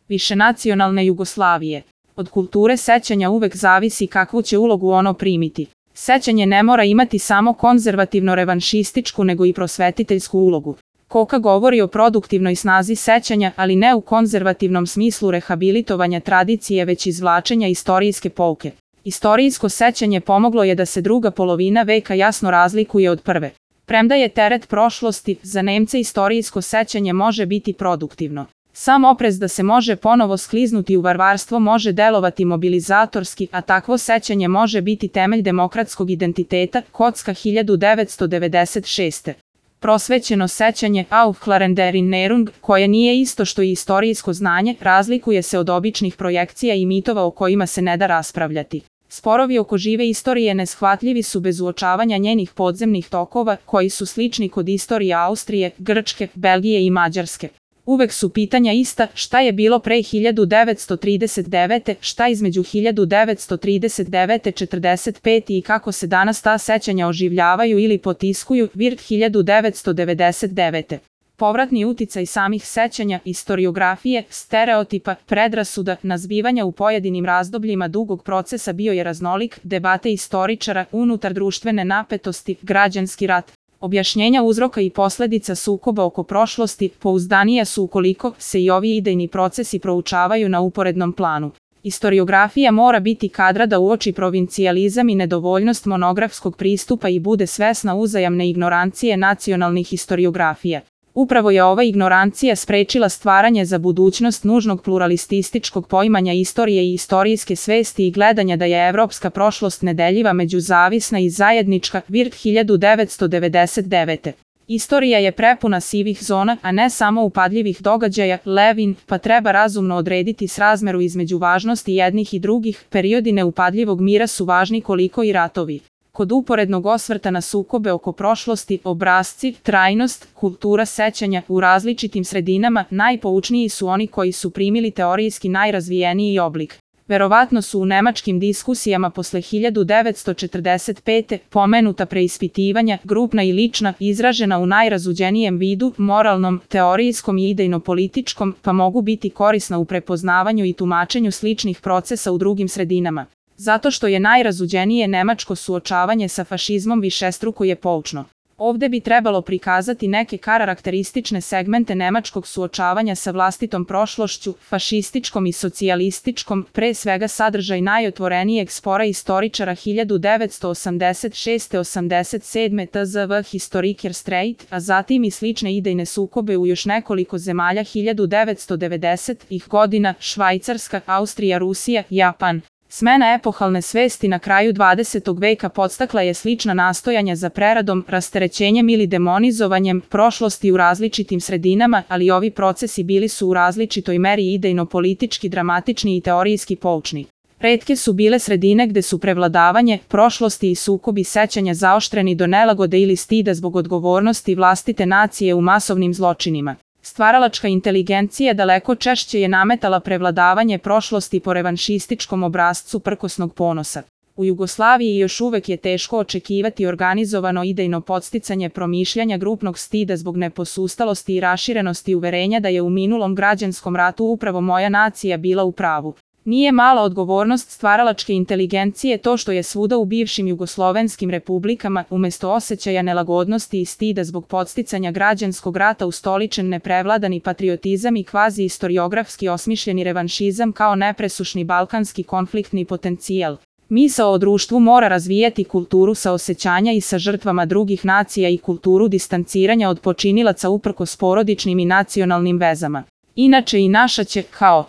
višenacionalne Jugoslavije. Od kulture sećanja uvek zavisi kakvu će ulogu ono primiti. Sećanje ne mora imati samo konzervativno-revanšističku nego i prosvetiteljsku ulogu. Koka govori o produktivnoj snazi sećanja, ali ne u konzervativnom smislu rehabilitovanja tradicije, već izvlačenja istorijske pouke. Istorijsko sećanje pomoglo je da se druga polovina veka jasno razlikuje od prve. Premda je teret prošlosti, za Nemce istorijsko sećanje može biti produktivno. Sam oprez da se može ponovo skliznuti u varvarstvo može delovati mobilizatorski, a takvo sećanje može biti temelj demokratskog identiteta. Kocka 1996. Prosvećeno sećanje Aufklärende Erinnerung, koje nije isto što i istorijsko znanje, razlikuje se od običnih projekcija i mitova o kojima se ne da raspravljati. Sporovi oko žive istorije neshvatljivi su bez uočavanja njenih podzemnih tokova, koji su slični kod istorije Austrije, Grčke, Belgije i Mađarske. Uvek su pitanja ista, šta je bilo pre 1939. šta između 1939. 45. i kako se danas ta sećanja oživljavaju ili potiskuju. Virt 1999. Povratni uticaj samih sećanja, istoriografije, stereotipa, predrasuda, nazbivanja u pojedinim razdobljima dugog procesa bio je raznolik, debate istoričara, unutar društvene napetosti, građanski rat. Objašnjenja uzroka i posledica sukoba oko prošlosti pouzdanija su ukoliko se i ovi idejni procesi proučavaju na uporednom planu. Istoriografija mora biti kadra da uoči provincijalizam i nedovoljnost monografskog pristupa i bude svesna uzajamne ignorancije nacionalnih historiografija. Upravo je ova ignorancija sprečila stvaranje za budućnost nužnog pluralistističkog poimanja istorije i istorijske svesti i gledanja da je evropska prošlost nedeljiva, međuzavisna i zajednička. Virt 1999. Istorija je prepuna sivih zona, a ne samo upadljivih događaja. Levin, pa treba razumno odrediti srazmeru između važnosti jednih i drugih. Periodi neupadljivog mira su važni koliko i ratovi. Kod uporednog osvrta na sukobe oko prošlosti, obrasci, trajnost, kultura sećanja u različitim sredinama, najpoučniji su oni koji su primili teorijski najrazvijeniji oblik. Verovatno su u nemačkim diskusijama posle 1945. pomenuta preispitivanja, grupna i lična, izražena u najrazuđenijem vidu, moralnom, teorijskom i idejno-političkom, pa mogu biti korisna u prepoznavanju i tumačenju sličnih procesa u drugim sredinama. Zato što je najrazuđenije nemačko suočavanje sa fašizmom višestruko je poučno. Ovde bi trebalo prikazati neke karakteristične segmente nemačkog suočavanja sa vlastitom prošlošću, fašističkom i socijalističkom, pre svega sadržaj najotvorenijeg spora istoričara 1986-87 tzv. Historiker Streit, a zatim i slične idejne sukobe u još nekoliko zemalja 1990-ih godina, Švajcarska, Austrija, Rusija, Japan. Smena epohalne svesti na kraju 20. veka podstakla je slična nastojanja za preradom, rasterećenjem ili demonizovanjem prošlosti u različitim sredinama, ali ovi procesi bili su u različitoj meri idejno-politički, dramatični i teorijski poučni. Retke su bile sredine gde su prevladavanje, prošlosti i sukobi sećanja zaoštreni do nelagode ili stida zbog odgovornosti vlastite nacije u masovnim zločinima. Stvaralačka inteligencija daleko češće je nametala prevladavanje prošlosti po revanšističkom obrascu prkosnog ponosa. U Jugoslaviji još uvek je teško očekivati organizovano idejno podsticanje promišljanja grupnog stida zbog neposustalosti i raširenosti uverenja da je u minulom građanskom ratu upravo moja nacija bila u pravu. Nije mala odgovornost stvaralačke inteligencije to što je svuda u bivšim jugoslovenskim republikama, umesto osjećaja nelagodnosti i stida zbog podsticanja građanskog rata, ustoličen neprevladani patriotizam i kvazi-istoriografski osmišljeni revanšizam kao nepresušni balkanski konfliktni potencijal. Misao o društvu mora razvijati kulturu saosećanja i sa žrtvama drugih nacija i kulturu distanciranja od počinilaca uprkos porodičnim i nacionalnim vezama. Inače i naša će, kao